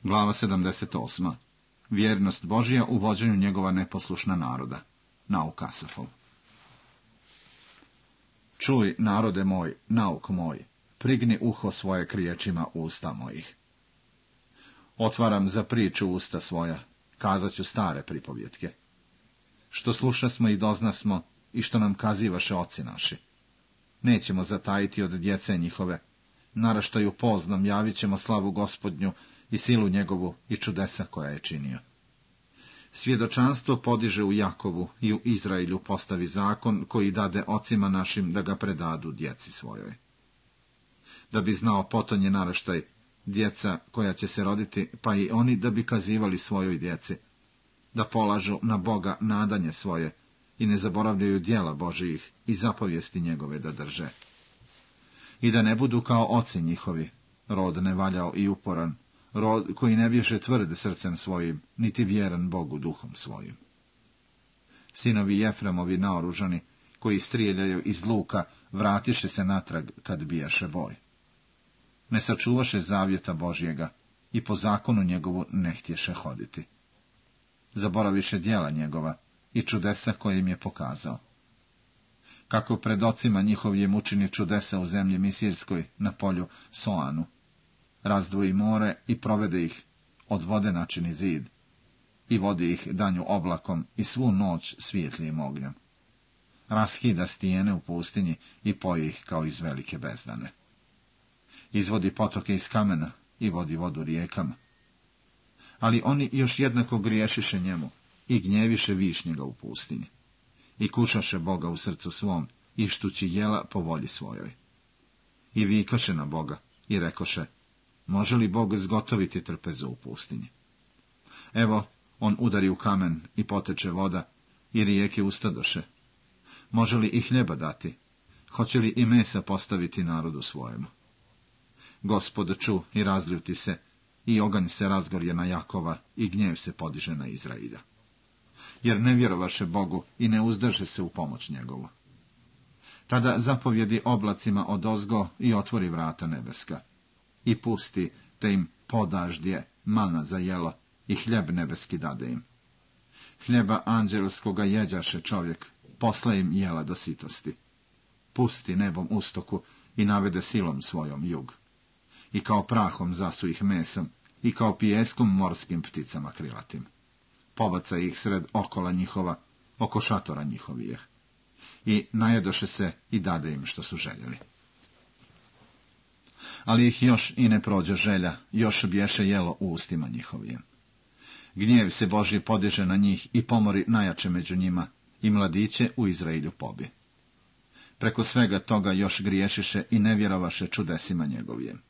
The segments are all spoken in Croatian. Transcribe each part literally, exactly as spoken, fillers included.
Glava sedamdeset osma. Vjernost Božja u vođenju njegova neposlušna naroda. Nauk Asafov. Čuj, narode moj, nauk moj, prigni uho svoje k riječima usta mojih. Otvaram za priču usta svoja, kazat ću stare pripovjetke. Što slušasmo i doznasmo, i što nam kazivaše oci naši. Nećemo zatajiti od djece njihove, naraštaju poznom javit ćemo slavu Gospodnju i silu njegovu i čudesa koja je činio. Svjedočanstvo podiže u Jakovu i u Izraelju postavi zakon koji dade ocima našim da ga predadu djeci svojoj. Da bi znao potonje naraštaj, djeca koja će se roditi, pa i oni da bi kazivali svojoj djeci, da polažu na Boga nadanje svoje i ne zaboravljaju djela Božijih i zapovijesti njegove da drže. I da ne budu kao oci njihovi, rod nevaljao i uporan, rod koji ne bješe tvrd srcem svojim, niti vjeran Bogu duhom svojim. Sinovi Jefremovi naoružani, koji strijeljaju iz luka, vratiše se natrag kad bijaše boj. Ne sačuvaše zavjeta Božjega i po zakonu njegovu ne htješe hoditi. Zaboraviše djela njegova i čudesa koje im je pokazao. Kako pred ocima njihovim učini čudesa u zemlji Misirskoj na polju Soanu, razdvoji more i provede ih, od vode načini zid, i vodi ih danju oblakom i svu noć svijetlijim ognjem. Raskida stijene u pustinji i poji ih kao iz velike bezdane. Izvodi potoke iz kamena i vodi vodu rijekama. Ali oni još jednako griješiše njemu i gnjeviše višnjega u pustinji. I kušaše Boga u srcu svom, ištući jela po volji svojoj. I vikaše na Boga i rekoše, može li Bog zgotoviti trpezu u pustinji? Evo, on udari u kamen i poteče voda, i rijeke ustadoše. Može li i hljeba dati? Hoće li i mesa postaviti narodu svojemu? Gospod ču i razljuti se, i oganj se razgorje na Jakova, i gnjev se podiže na Izrailja. Jer ne vjerovaše Bogu i ne uzdrže se u pomoć njegovu. Tada zapovjedi oblacima odozgo i otvori vrata nebeska. I pusti, te im podaždje mana za jelo i hljeb nebeski dade im. Hljeba anđelskoga jeđaše čovjek, posla im jela do sitosti. Pusti nebom ustoku i navede silom svojom jug. I kao prahom zasu ih mesom i kao pijeskom morskim pticama krilatim. Pobaca ih sred okola njihova, oko šatora njihovijeh. I najedoše se i dade im što su željeli. Ali ih još i ne prođe želja, još bješe jelo u ustima njihovijem. Gnjev se Božji podiže na njih i pomori najjače među njima, i mladiće u Izraelju pobi. Preko svega toga još griješiše i ne vjerovaše čudesima njegovijem.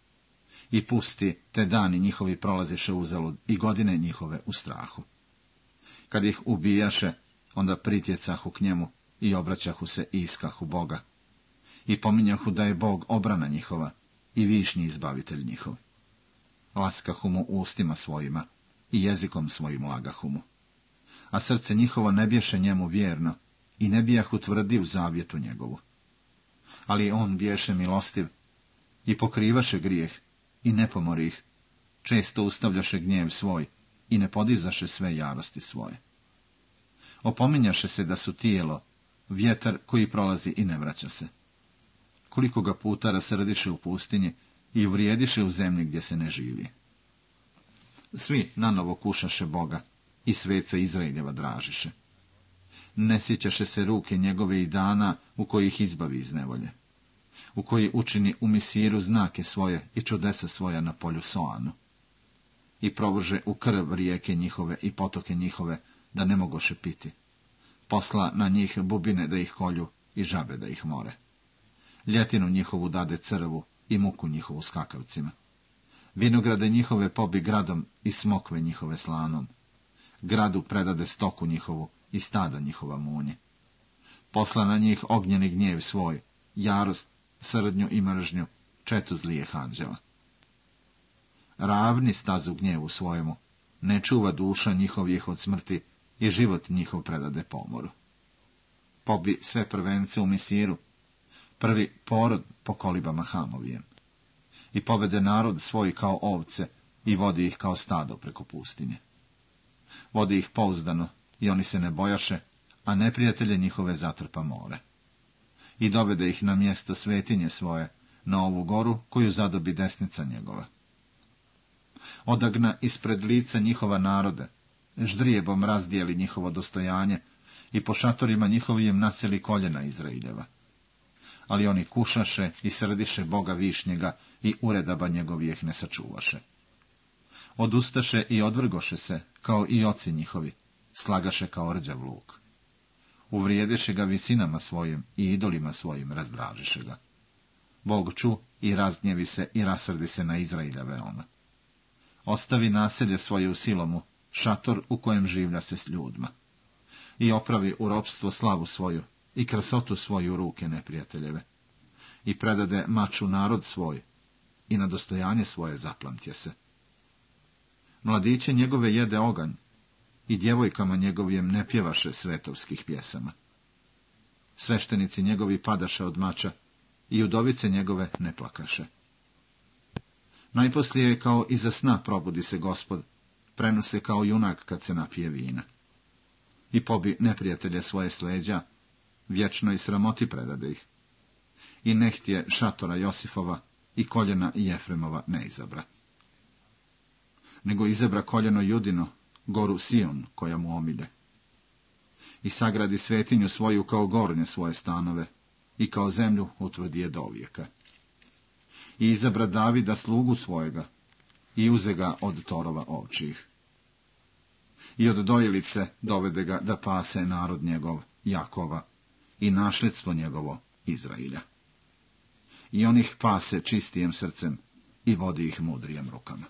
I pusti, te dani njihovi prolaziše uzalud i godine njihove u strahu. Kad ih ubijaše, onda pritjecahu k njemu i obraćahu se i iskahu Boga. I pominjahu da je Bog obrana njihova i višnji izbavitelj njihov. Laskahu mu ustima svojima i jezikom svojim lagahu mu. A srce njihovo ne bješe njemu vjerno i ne bijahu tvrdi u zavjetu njegovu. Ali on bješe milostiv i pokrivaše grijeh i ne pomori ih, često ustavljaše gnjev svoj i ne podizaše sve jarosti svoje. Opominjaše se da su tijelo, vjetar koji prolazi i ne vraća se. Koliko ga puta rasrdiše u pustinji i uvrijediše u zemlji gdje se ne živi. Svi nanovo kušaše Boga i sveca Izraeljeva dražiše. Ne sjećaše se ruke njegove i dana u koji ih izbavi iz nevolje, u koji učini u Misiru znake svoje i čudesa svoja na polju Soanu. I provrže u krv rijeke njihove i potoke njihove, da ne mogoše piti. Posla na njih bubine da ih kolju i žabe da ih more. Ljetinu njihovu dade crvu i muku njihovu skakavcima. Vinograde njihove pobi gradom i smokve njihove slanom. Gradu predade stoku njihovu i stada njihova munje. Posla na njih ognjeni gnjev svoj, jarost, srdnju i mržnju, četu zlijeh anđela. Ravni stazu gnjevu svojemu, ne čuva duša njihovih od smrti i život njihov predade pomoru. Pobi sve prvence u Misiru, prvi porod po kolibama Hamovijem. I povede narod svoj kao ovce, i vodi ih kao stado preko pustinje. Vodi ih pouzdano i oni se ne bojaše, a neprijatelje njihove zatrpa more. I dovede ih na mjesto svetinje svoje, na ovu goru koju zadobi desnica njegova. Odagna ispred lica njihova narode, ždrijebom razdijeli njihovo dostojanje i po šatorima njihovim naseli koljena Izraeljeva. Ali oni kušaše i srdiše Boga višnjega i uredaba njegovijeh ne sačuvaše. Odustaše i odvrgoše se, kao i oci njihovi, slagaše kao rđav luk. Uvrijediše ga visinama svojim i idolima svojim razdražiše ga. Bog ču i raznjevi se i rasrdi se na Izrailja veoma. Ostavi naselje svoje u Silomu, šator u kojem življa se s ljudima. I opravi u ropstvo slavu svoju i krasotu svoju ruke neprijateljeve. I predade maču narod svoj i na dostojanje svoje zaplamtje se. Mladiće njegove jede oganj i djevojkama njegovim ne pjevaše svetovskih pjesama. Sveštenici njegovi padaše od mača i udovice njegove ne plakaše. Najposlije kao iza sna probudi se Gospod, prenose kao junak kad se napije vina. I pobi neprijatelje svoje s leđa, vječnoj sramoti predade ih. I nehtje šatora Josifova i koljena Jefremova ne izabra. Nego izabra koljeno Judino, goru Sion, koja mu omilje. I sagradi svetinju svoju kao gornje svoje stanove, i kao zemlju utvrdi je do vijeka. I izabra Davida slugu svojega, i uze ga od torova ovčijih. I od dojelice dovede ga da pase narod njegov, Jakova, i našledstvo njegovo, Izrailja. I on ih pase čistijem srcem i vodi ih mudrijem rukama.